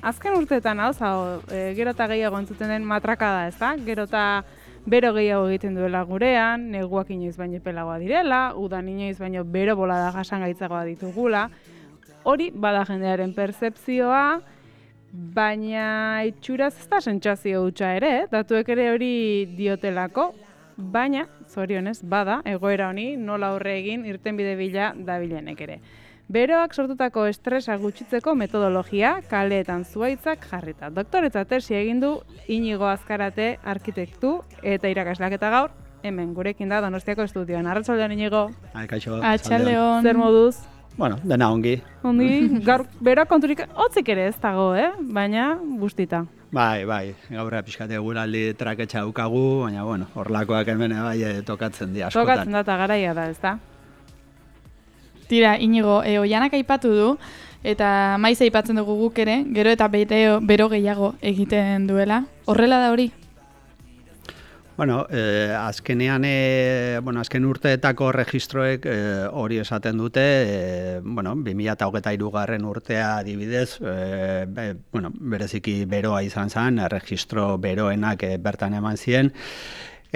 azken urteetan gero eta gehiago entzuten den matrakada, ez da? Gero eta bero gehiago egiten duela gurean, neguak inoiz baino epelagoa direla, udan inoiz baino bero bolada jasangaitzagoa ditugula. Hori bada jendearen pertzepzioa, baina itxuraz ez da sentsazio hutsa ere, datuek ere hori diotelako, baina, zorionez, bada, egoera honi nola aurre egin irtenbide bila dabilenek ere. Beroak sortutako estresa gutxitzeko metodologia kaleetan zuhaitzak jarrita. Doktoretza tesi egin du Inigo Azkarate arkitektu eta irakasleak eta gaur hemen gurekin da Donostiako estudioan. Arratsaldeon Inigo. Kaixo. Arratsaldeon. Zer moduz? Bueno, dena ongi. Ongi, gaur beroak konturik hotzik ere ez dago, baina bustita. Bai, gaurra pixkate guraldi traketxa daukagu, baina bueno, horlakoak hemen bai tokatzen di askotan. Tokatzen da eta garaia da, ez da? Tira, Inigo, Oianak aipatu du, eta maiz aipatzen dugu guk ere, gero eta bero gehiago egiten duela. Horrela da hori? Bueno, azkenean, azken urteetako registroek hori esaten dute, 2023 urtea adibidez, bereziki beroa izan zen, registro beroenak bertan eman ziren,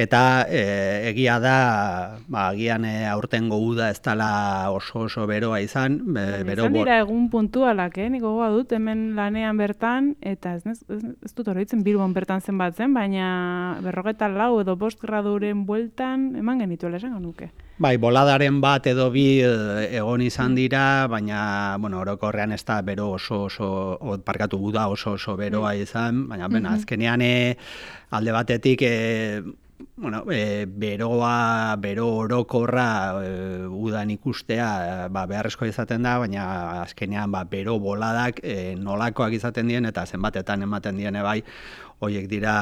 eta egia da, agian aurtengo uda ez dela oso beroa izan. Izan dira egun puntualak, nik gogoa dut hemen lanean bertan, eta ez dut oroitzen Bilbon bertan zenbatzen, baina 44 edo 5 graduren bueltan eman genituela esango nuke. Bai, boladaren bat edo bi egon izan dira, baina orokorrean ez da bero parkatu uda oso beroa izan, baina azkenean alde batetik bero orokorra udan ikustea beharrezkoa izaten da, baina azkenean bero boladak nolakoak izaten dien eta zenbatetan ematen diene bai, horiek dira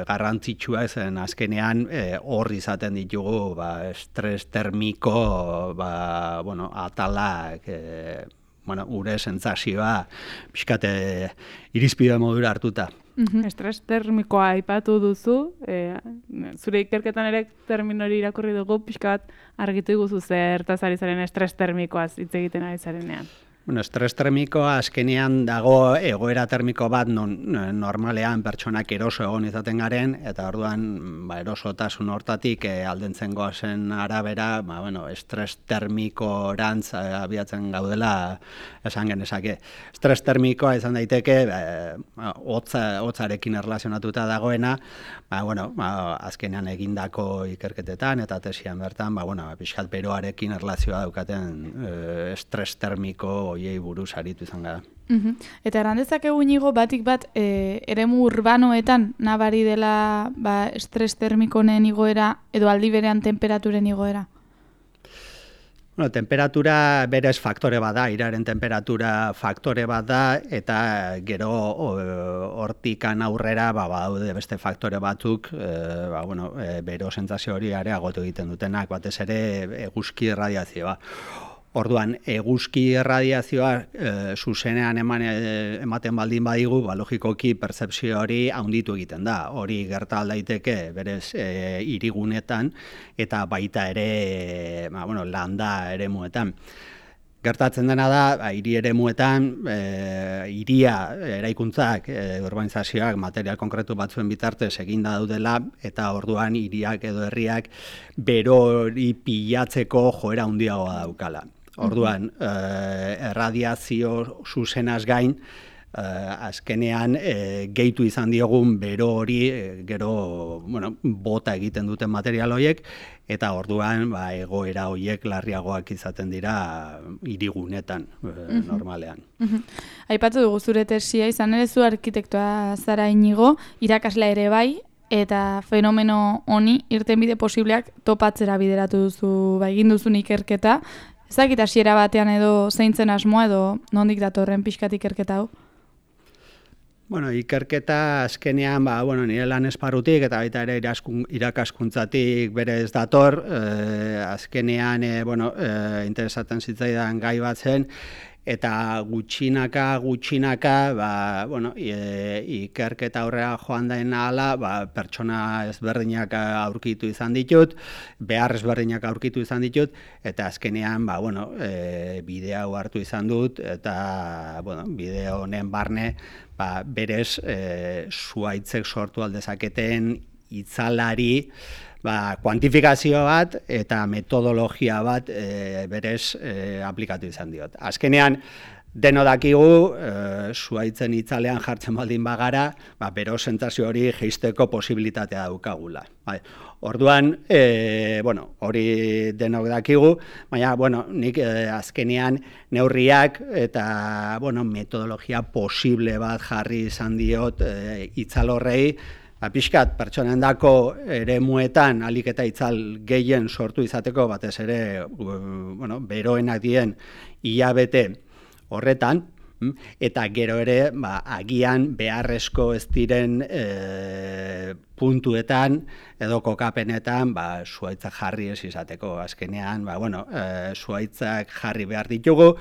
garrantzitsua zen azkenean hor izaten ditugu estres termiko atalak, gure sentsazioa pixkate irizpide modura hartuta. Estres termikoa aipatu duzu, zure ikerketan ere termino hori irakurri dugu, pixka bat argitu iguzu zertaz ari zaren estres termikoaz hitz egiten ari zarenean. Estres termikoa azkenean dago egoera termiko bat normalean pertsonak eroso egon izaten garen, eta orduan erosotasun hortatik aldentzen goazen arabera, estres termikorantz abiatzen gaudela esan genezake. Estres termikoa izan daiteke hotzarekin erlazionatuta dagoena, azkenean egindako ikerketetan eta tesian bertan, pixkat beroarekin erlazioa daukaten estres termiko hoiei buruz aritu izan gara. Eta errandezakegu Inigo batik bat eremu urbanoetan nabari dela estres termikonen igoera edo aldi berean temperaturen igoera? Temperatura berez faktore bat da, iraren temperatura faktore bat da, eta gero hortikan aurrera badaude beste faktore batzuk, bero sentsazio hori areagotu egiten dutenak, batez ere eguzki irradiazioa. Orduan, eguzki irradiazioa zuzenean ematen baldin badigu, logikoki pertzepzio hori handitu egiten da. Hori gerta daiteke berez hirigunetan eta baita ere landa eremuetan. Gertatzen dena da, hiri eremuetan, hiria eraikuntzak, urbanizazioak, material konkretu batzuen bitartez eginda daudela, eta orduan hiriak edo herriak bero hori pilatzeko joera handiagoa daukala. Orduan, erradiazio zuzenaz gain, azkenean gehitu izan diogun bero hori, gero bota egiten duten material horiek, eta orduan egoera horiek larriagoak izaten dira hirigunetan normalean. Aipatu dugu zure tesia, izan ere zu arkitektoa zara Inigo, irakasle ere bai, eta fenomeno honi irtenbide posibleak topatzera bideratu duzu, egin duzun ikerketa. Ezakit hasiera batean edo zeintzen asmoa edo nondik datorren pixkat ikerketa hau? Ikerketa azkenean, nire lan esparrutik eta baita ere irakaskuntzatik berez dator, azkenean interesatzen zitzaidan gai bat zen, eta gutxinaka, ikerketa aurrera joan daen ahala, pertsona ezberdinak aurkitu izan ditut, behar ezberdinak aurkitu izan ditut, eta azkenean, bideo hau hartu izan dut, eta, bideo honen barne, berez, zuhaitzek sortu aldezaketen itzalari, kuantifikazio bat eta metodologia bat berez aplikatu izan diot. Azkenean, deno dakigu, zuhaitzen itzalean jartzen baldin bagara, bero sentsazio hori jeisteko posibilitatea daukagula. Orduan, hori denok dakigu, baina, nik azkenean neurriak eta metodologia posible bat jarri izan diot itzal horrei, pixkat pertsonendako eremuetan alik eta itzal gehien sortu izateko, batez ere beroenak dien hilabete horretan, eta gero ere agian beharrezko ez diren puntuetan edo kokapenetan zuhaitzak jarri ez izateko. Azkenean, zuhaitzak jarri behar ditugu,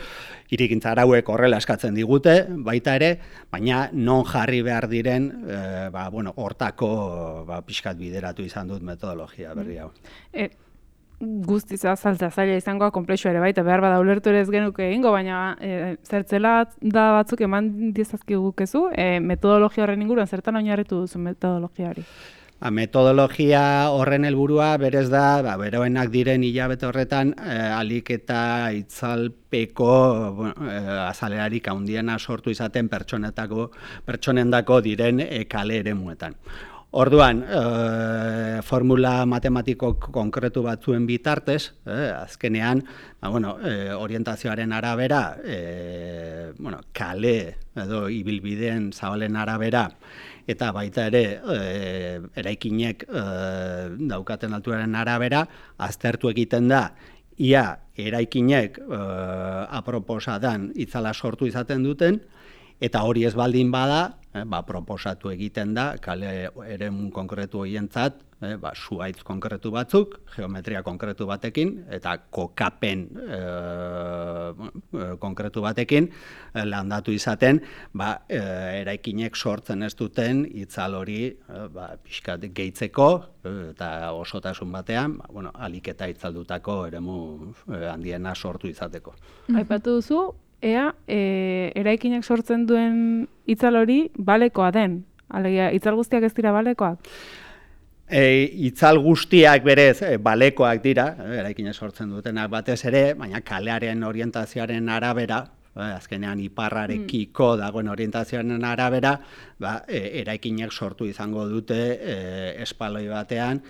hirigintza arauek horrela eskatzen digute, baita ere, baina non jarri behar diren, hortako pixkat bideratu izan dut metodologia berri hau. Guztiz azaltza zaila izangoa konplexua ere baita, behar bada ulertu ere ez genuke egingo, baina zertzela da batzuk eman diezazkigukezu, metodologia horren inguruan, zertan oinarritu duzu metodologia hori? Metodologia horren helburua berez da, beroenak diren hilabete horretan, alik eta itzalpeko azalerarik handiena sortu izaten pertsonendako diren kale eremuetan. Orduan, formula matematiko konkretu batzuen bitartez, azkenean, orientazioaren arabera, kale edo ibilbideen zabalen arabera, eta baita ere, eraikinek daukaten alturaren arabera, aztertu egiten da, ia eraikinek aproposadan itzala sortu izaten duten, eta hori ez baldin bada, proposatu egiten da, kale eremu konkretu horientzat, zuhaitz konkretu batzuk, geometria konkretu batekin, eta kokapen konkretu batekin, landatu izaten, eraikinek sortzen ez duten itzal hori pixkat gehitzeko, eta osotasun batean, alik eta itzaldutako eremu handiena sortu izateko. Aipatu duzu, ea, eraikinak sortzen duen itzal hori balekoa den. Alegia, itzal guztiak ez dira balekoak? Itzal guztiak berez balekoak dira, eraikinak sortzen dutenak batez ere, baina kalearen orientazioaren arabera, azkenean iparrarekiko dagoen orientazioaren arabera, eraikinak sortu izango dute espaloi batean,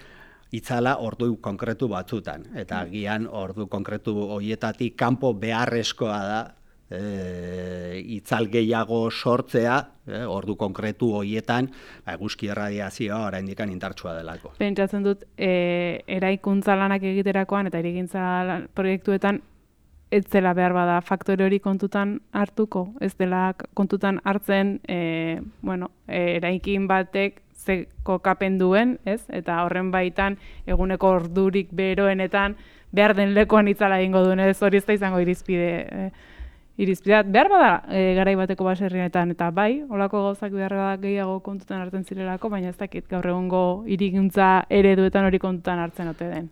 itzala ordu konkretu batzutan. Eta agian ordu konkretu horietatik kanpo beharrezkoa da itzal gehiago sortzea, ordu konkretu horietan, eguzki erradiazioa oraindik indartsua delako. Pentsatzen dut, eraikuntza lanak egiterakoan eta hirigintza proiektuetan ez dela behar bada faktore hori kontutan hartuko, ez dela kontutan hartzen, eraikin batek ze kokapen duen, ez? Eta horren baitan eguneko ordurik beroenetan behar den lekuan itzala egingo duen, ez hori ez da izango irizpidea. Behar bada garai bateko baserrietan, eta bai, holako gauzak behar bada gehiago kontutan hartzen zirelako, baina ez dakit gaur egungo hirigintza ereduetan hori kontutan hartzen ote den.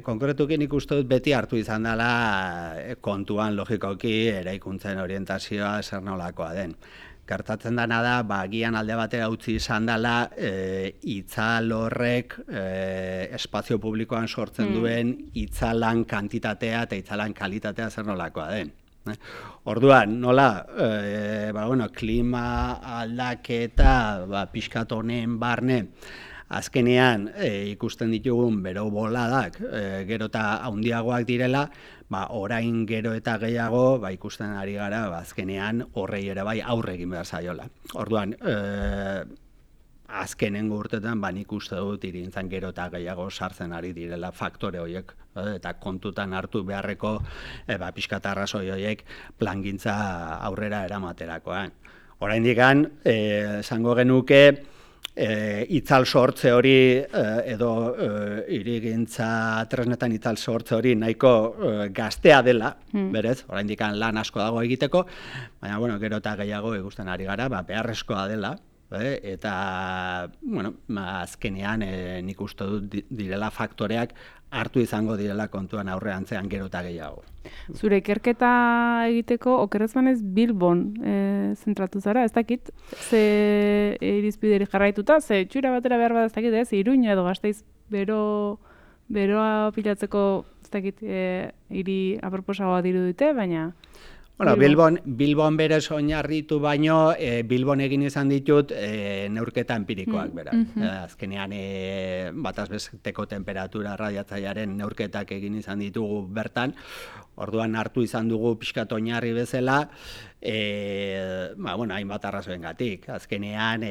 Konkretuki nik uste dut beti hartu izan dela kontuan logikoki eraikuntzen orientazioa zer nolakoa den. Gertatzen dena da, agian alde batera utzi izan dela itzal horrek espazio publikoan sortzen duen itzalan kantitatea eta itzalan kalitatea zer nolakoa den. Orduan, nola, klima aldaketa pixkat honen barne, azkenean ikusten ditugun bero boladak gero eta handiagoak direla, orain gero eta gehiago ikusten ari gara azkenean horrei ere bai aurre egin behar zaiola. Orduan, azkenengo urtetan nik uste dut hirigintzan gero eta gehiago sartzen ari direla faktore horiek eta kontutan hartu beharreko pixkat arrazoi horiek plangintza aurrera eramaterakoan. Oraindik esango genuke itzal sortze hori edo hirigintza tresnetan itzal sortze hori nahiko gaztea dela, berez, oraindik lan asko dago egiteko, baina bueno, gero eta gehiago ikusten ari gara, beharrezkoa dela. Eta, bueno, azkenean nik uste dut direla faktoreak hartu izango direla kontuan aurreantzean gero eta gehiago. Zure ikerketa egiteko, okerrez banez Bilbon zentratu zara, ez dakit, ze irizpideri jarraituta, ze txura batera behar bat ez dakit, Iruña edo Gasteiz beroa pilatzeko, ez dakit, hiri aproposagoa dirudite, baina... Bueno, Bilbon berez oinarritu baino, Bilbon egin izan ditut neurketa empirikoak berak. Azkenean bataz besteko temperatura radiatzailearen neurketak egin izan ditugu bertan, orduan hartu izan dugu pixkat oinarri bezala, hainbat arrazoengatik. Azkenean,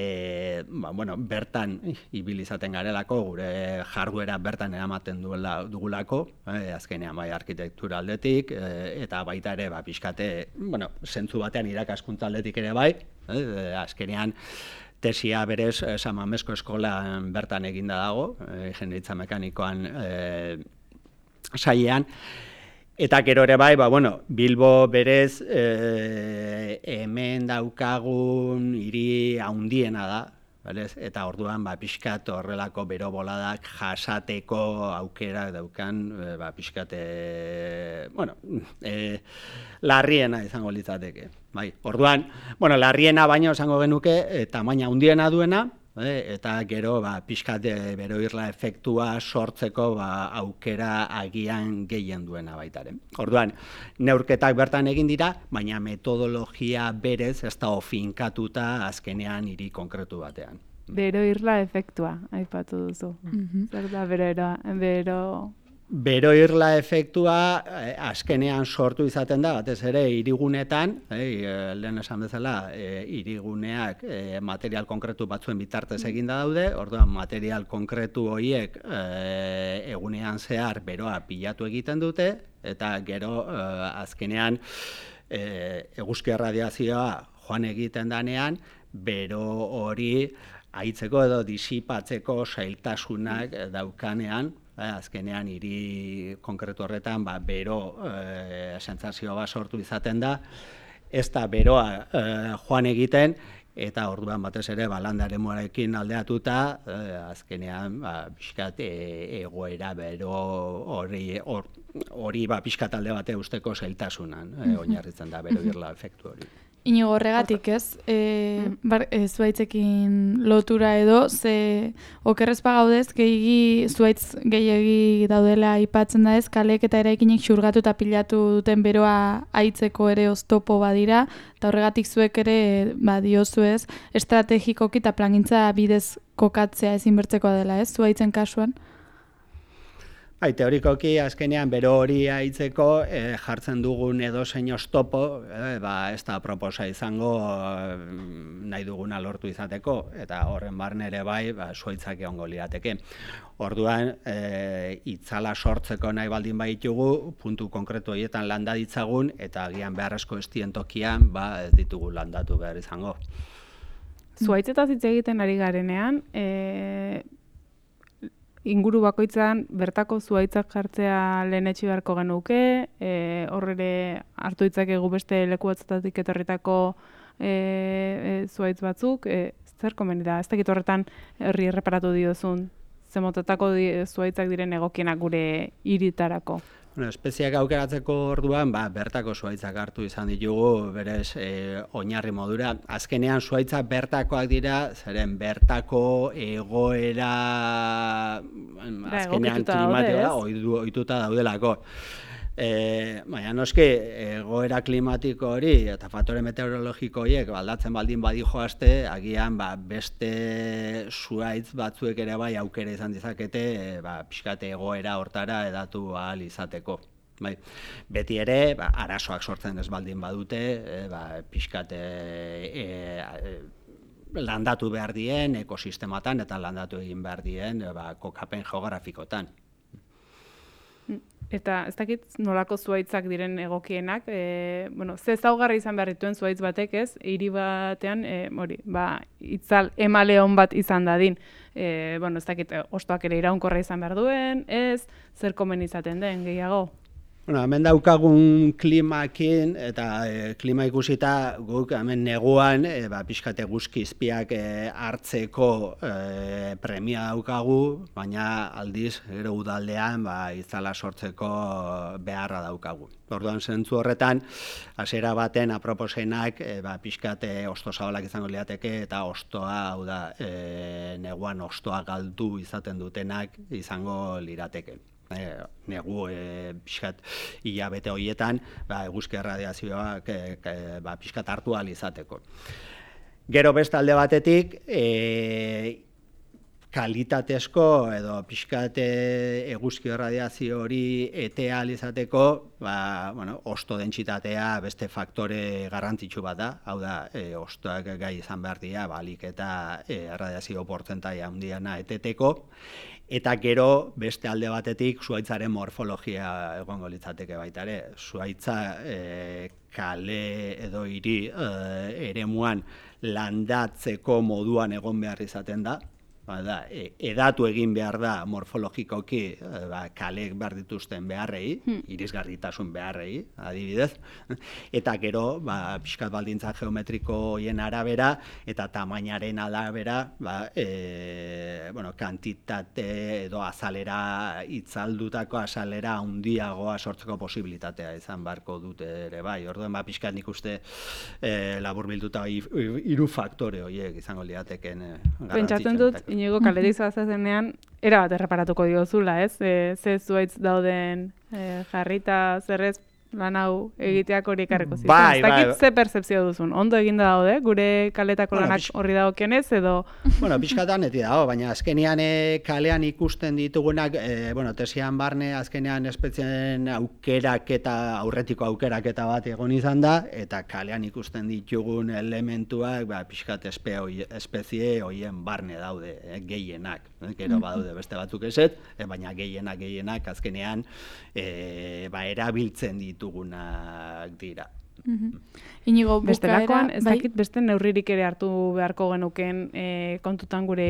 bertan ibil izaten garelako, gure jarduera bertan eramaten dugulako, azkenean bai arkitektura aldetik, eta baita ere pixkate, zentzu batean irakaskuntza aldetik ere bai, azkenean tesia berez San Mamesko eskolan bertan eginda dago, ingeniaritza mekanikoan sailean, eta gero ere bai, Bilbo berez hemen daukagun hiri handiena da, eta orduan pixkat horrelako bero boladak jasateko aukera daukan pixkat larriena izango litzateke. Orduan, larriena baino izango genuke tamaina handiena duena, eta gero pixkat beroirla efektua sortzeko aukera agian gehien duena baitaren. Orduan, neurketak bertan egin dira, baina metodologia berez ez da finkatuta azkenean hiri konkretu batean. Beroirla efektua, aipatu duzu. Zer da Beroirla efektua azkenean sortu izaten da, batez ere hirigunetan, lehen esan bezala, hiriguneak material konkretu batzuen bitartez eginda daude, orduan material konkretu horiek egunean zehar beroa pilatu egiten dute, eta gero azkenean eguzki erradiazioa joan egiten danean, bero hori haitzeko edo disipatzeko zailtasunak daukanean, azkenean hiri konkretu horretan bero sentsazio bat sortu izaten da, ez da beroa joan egiten, eta orduan batez ere landaremoarekin aldeatuta, azkenean pixkat egoera bero hori pixkat alde bate usteko zailtasunan oinarritzen da beroirla efektu hori. Inigo, horregatik ez, zuaitzekin lotura edo, ze okerrez pagaudez, zuaitz gehiegi daudela aipatzen da ez, kaleek eta eraikinek xurgatu eta pilatu duten beroa haitzeko ere oztopo badira, eta horregatik zuek ere diozu ez, estrategikoki eta plangintza bidez kokatzea ezinbertzekoa dela ez, zuaitzen kasuan? Teorikoki azkenean bero hori haitzeko jartzen dugun edozein oztopo, ez da proposa izango nahi duguna lortu izateko, eta horren barne ere bai, zuaitzak egongo lirateke. Orduan, itzala sortzeko nahi baldin baitugu, puntu konkretu horietan landa ditzagun, eta agian beharrezko estien tokian, ez ditugu landatu behar izango. Zuaitzetaz hitz egiten ari garenean, inguru bakoitzan bertako zuaitzak jartzea lehenetsi beharko genuke, horrere hartu ditzakegu beste leku batzutatik etorritako zuaitz batzuk, zer komeni da, ez dakit horretan herri erreparatu diozun, zemotetako zuaitzak diren egokienak gure hiritarako. Espeziak aukeratzeko orduan, bertako zuaitzak hartu izan ditugu, berez oinarri modura. Azkenean zuaitzak bertakoak dira, zeren bertako egoera azkenean klimatikoa ohituta daudelako. Baina noski, egoera klimatiko hori eta faktore meteorologiko horiek aldatzen baldin badijoazte, agian beste zuaitz batzuek ere bai aukera izan dezakete pixkate egoera hortara edatu ahal izateko. Beti ere, arazoak sortzen ez baldin badute, pixkate landatu behar dien ekosistematan eta landatu egin behar dien kokapen geografikotan. Eta ez dakit nolako zuhaitzak diren egokienak, ze ezaugarri izan behar dituen zuhaitz batek, ez? Hiri batean, itzal emaleon bat izan dadin. Ez dakit hostoak ere iraunkorra izan behar duen, ez? Zer komen izaten den gehiago? Hemen daukagun klimakin eta klima ikusita guk hemen neguan pixkat eguzki izpiak hartzeko premia daukagu, baina aldiz gero udaldean itzala sortzeko beharra daukagu. Orduan zentzu horretan, hasiera baten aproposenak pixkat hosto zabalak izango lirateke eta hostoa, hau da, neguan hostoa galdu izaten dutenak izango lirateke. Negu pixkat hilabete horietan eguzki erradiazioak pixkat hartu ahal izateko. Gero beste alde batetik, kalitatezko edo pixkat eguzki erradiazio hori ete ahal izateko, hosto dentsitatea beste faktore garrantzitsu bat da, hau da, hostoak gai izan behar dira, ahalik eta erradiazio portzentaia handiena eteteko, eta gero beste alde batetik zuhaitzaren morfologia egongo litzateke baita ere. Zuhaitza kale edo hiri eremuan landatzeko moduan egon behar izaten da. Edatu egin behar da morfologikoki kaleek behar dituzten beharrei, irisgarritasun beharrei, adibidez, eta gero pixkat baldintza geometriko horien arabera eta tamainaren arabera kantitate edo azalera, itzaldutako azalera handiagoa sortzeko posibilitatea izan beharko dute ere bai. Orduan pixkat nik uste laburbilduta hiru faktore horiek izango lirateken garrantzitsuenak. Pentsatzen dut, Inigo kaletik zoazenean, erabat erreparatuko diozula, ez? Ze zuhaitz dauden jarrita, zerrez lan hau egiteak hori ekarriko zitzen. Ez dakit ze percepzio duzun, ondo eginda daude, gure kaletako lanak horri dagokionez, edo... Pixkatan eti dago, baina azkenean kalean ikusten ditugunak, tesian barne azkenean espezieen aukeraketa, aurretiko aukeraketa bat egon izan da, eta kalean ikusten ditugun elementuak, pixkat espezie horien barne daude, gehienak. Gero badaude beste batzuk eset, baina gehienak azkenean erabiltzen ditugunak dira. Inigo, bestelakoan, ez dakit beste neurririk ere hartu beharko genuken kontutan gure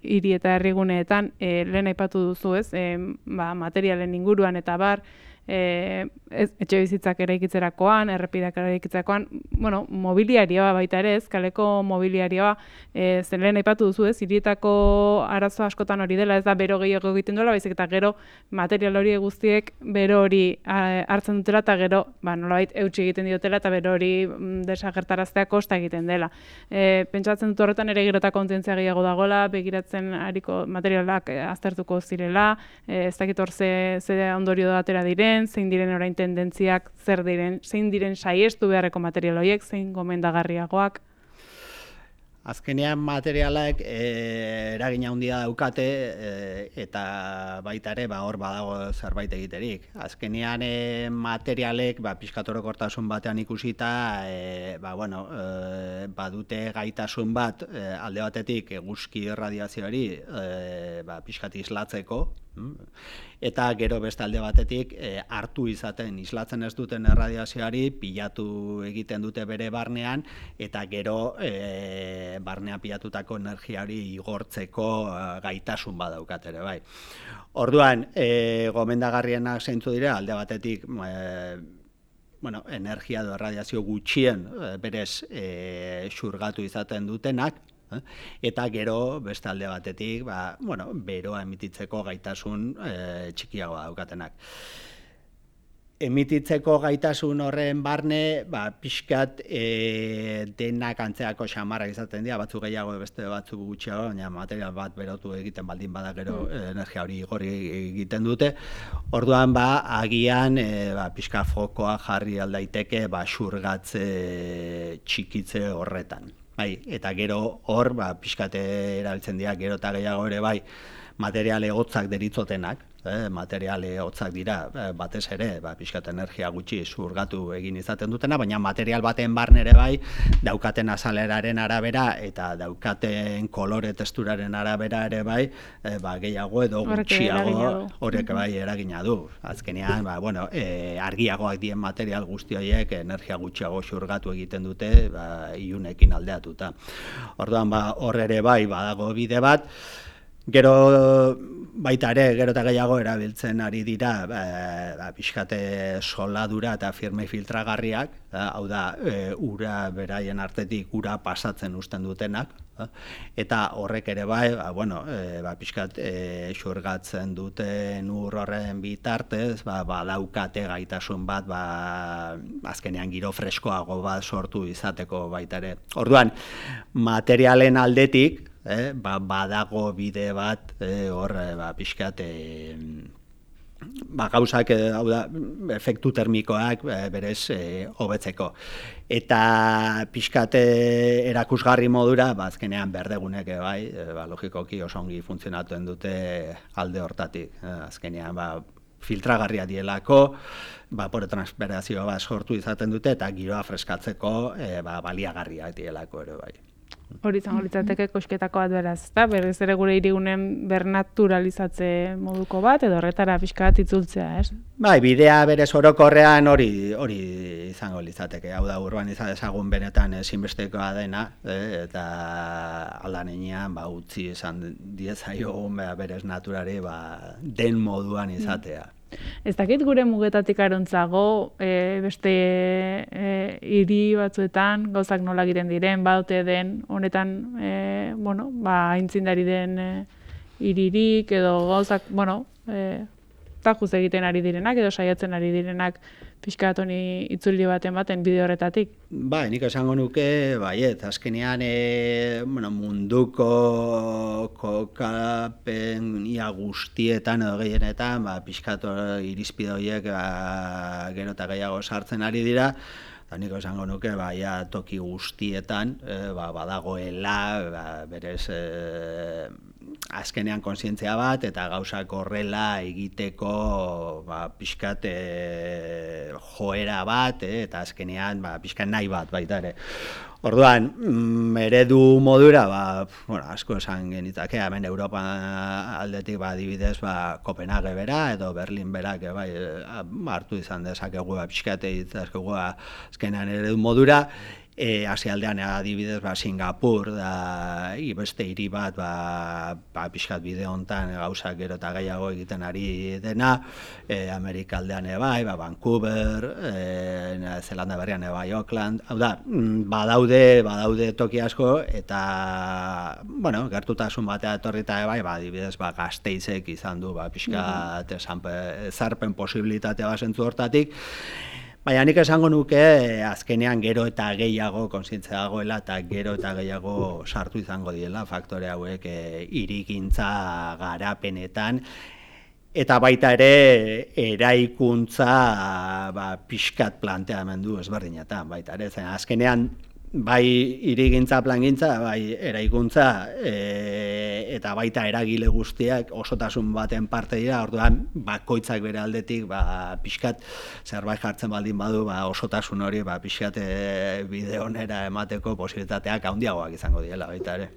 hiri eta herriguneetan, lehen aipatu duzu, ez? Materialen inguruan eta bar, etxe bizitzak eraikitzerakoan, errepideak eraikitzerakoan, mobiliarioa baita ere ez, kaleko mobiliarioa, zen lehen aipatu duzu ez, hirietako arazo askotan hori dela, ez da bero gehiago egiten duela, baizik eta gero material hori guztiek bero hori hartzen dutela eta gero, nolabait eutsi egiten diotela eta bero hori desagertaraztea kosta egiten dela. Pentsatzen dut horretan ere gero eta kontzientzia gehiago dagoela, begiratzen ariko materialak aztertuko zirela, ez dakit hor ze ondorio atera diren, zein diren orain tendentziak, zein diren saiestu beharreko material horiek, zein gomendagarriagoak. Azkenean materialak eragina handia daukate eta baita ere hor badago zerbait egiterik. Azkenean materialek pixkat orokortasun batean ikusita badute gaitasun bat alde batetik eguzki erradiazioari pixkat islatzeko, eta gero beste alde batetik hartu izaten islatzen ez duten erradiazioari pilatu egiten dute bere barnean eta gero barnean pilatutako energiari igortzeko gaitasun badaukat ere bai. Orduan, gomendagarrienak zeintzu dira alde batetik energia edo erradiazio gutxien berez xurgatu izaten dutenak, eta gero beste alde batetik beroa emititzeko gaitasun txikiagoa daukatenak. Emititzeko gaitasun horren barne, pixkat denak antzeako xamarrak izaten dira, batzuk gehiago beste batzuk gutxiago, baina material bat berotu egiten baldin bada gero energia hori igorri egiten dute. Orduan agian pixka fokoa jarri aldaiteke xurgatze txikitze horretan. Eta gero hor pixkate erabiltzen dira, gero eta gehiago ere material egotzak deritzotenak, materiale hotzak dira, batez ere, pixkat energia gutxi zurgatu egin izaten dutena, baina material baten barnere bai, daukaten azaleraren arabera eta daukaten kolore testuraren arabera ere bai, gehiago edo gutxiago horrek bai eragina du. Azkenean, argiagoak dien material guzti horiek energia gutxiago zurgatu egiten dute, ilunekin aldeatuta. Orduan, hor ere bai, badago bide bat, gero baita ere, gero eta gehiago erabiltzen ari dira pixkate soldadura eta firme filtragarriak, hau da, ura beraien artetik ura pasatzen uzten dutenak, eta horrek ere bai, pixkat xurgatzen duten ur horren bitartez, badaukate gaitasun bat, azkenean giro freskoago bat sortu izateko baita ere. Orduan, materialen aldetik, badago bide bat hor pixkat gauzak, hau da, efektu termikoak berez hobetzeko. Eta pixkat erakusgarri modura, azkenean berdegunek bai, logikoki oso ongi funtzionatuen dute alde hortatik. Azkenean, filtragarria dielako, bapore transpirazio bat sortu izaten dute, eta giroa freskatzeko baliagarriak dielako ere bai. Hori izango litzateke kosketako bat beraz, ezta? Berriz ere gure hirigunen bernaturalizatze moduko bat, edo horretara pixka bat itzultzea, ez? Bai, bidea berez orokorrean hori izango litzateke. Hau da, urbanizazioa ezagun benetan ezinbestekoa dena, eta aldan heinean utzi izan diezaiogun berez naturari den moduan izatea. Ez dakit gure mugetatik arontzago, beste hiri batzuetan gauzak nola egiten diren, badote den, honetan, aintzindari den hiririk, edo gauzak, tajuz egiten ari direnak, edo saiatzen ari direnak pixkat honi itzuli baten bide horretatik. Bai, nik esango nuke, baiet, azkenean munduko kokapen ia guztietan edo gehienetan, pixkat irizpide horiek gero eta gehiago sartzen ari dira, eta nik esango nuke, toki guztietan, badagoela, berez, azkenean kontzientzia bat, eta gauzak horrela egiteko pixkat joera bat, eta azkenean pixkat nahi bat baita ere. Orduan, eredu modura, asko esan genitzake, hemen Europa aldetik adibidez Kopenhague bera, edo Berlin berak hartu izan dezakegu pixkat egitazkegu azkenean eredu modura, Asialdean adibidez Singapur da beste hiri bat pixkat bide hontan gauzak gero eta gehiago egiten ari dena, Amerika aldean bai, Vancouver, Zelanda berrian bai, Auckland, hau da, badaude toki asko, eta gertutasun batea etorrita bai, adibidez Gasteizek izan du pixkat ezarpen posibilitatea zentzu hortatik. Baina nik esango nuke azkenean gero eta gehiago kontzientzia dagoela eta gero eta gehiago sartu izango diela faktore hauek hirigintza garapenetan, eta baita ere eraikuntza pixkat planteamendu ezberdinetan baita ere, zen azkenean bai hirigintza plangintza, bai eraikuntza eta baita eragile guztiak osotasun baten parte dira, orduan bakoitzak bere aldetik pixkat zerbait jartzen baldin badu osotasun hori pixkat bide onera emateko posibilitateak handiagoak izango diela baita ere.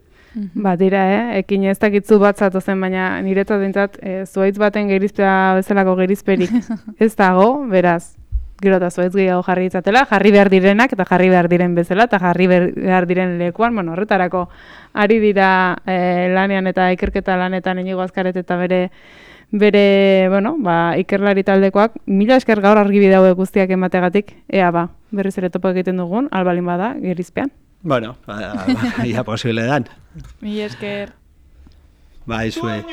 Dira, ekin ez dakitzu bat zatozen, baina niretzat dintzat zuhaitz baten gerizpea bezalako gerizperik ez dago, beraz. Gero eta zuhaitz gehiago jarri ditzatela, jarri behar direnak eta jarri behar diren bezala, eta jarri behar diren lekuan, horretarako ari dira lanean eta ikerketa lanetan Inigo Azkaret eta bere ikerlari taldekoak, mila esker gaur argibide hauek guztiak emategatik, berriz ere topo egiten dugun, albalin bada, gerizpean. Ia posible dan. Mila esker. Zue.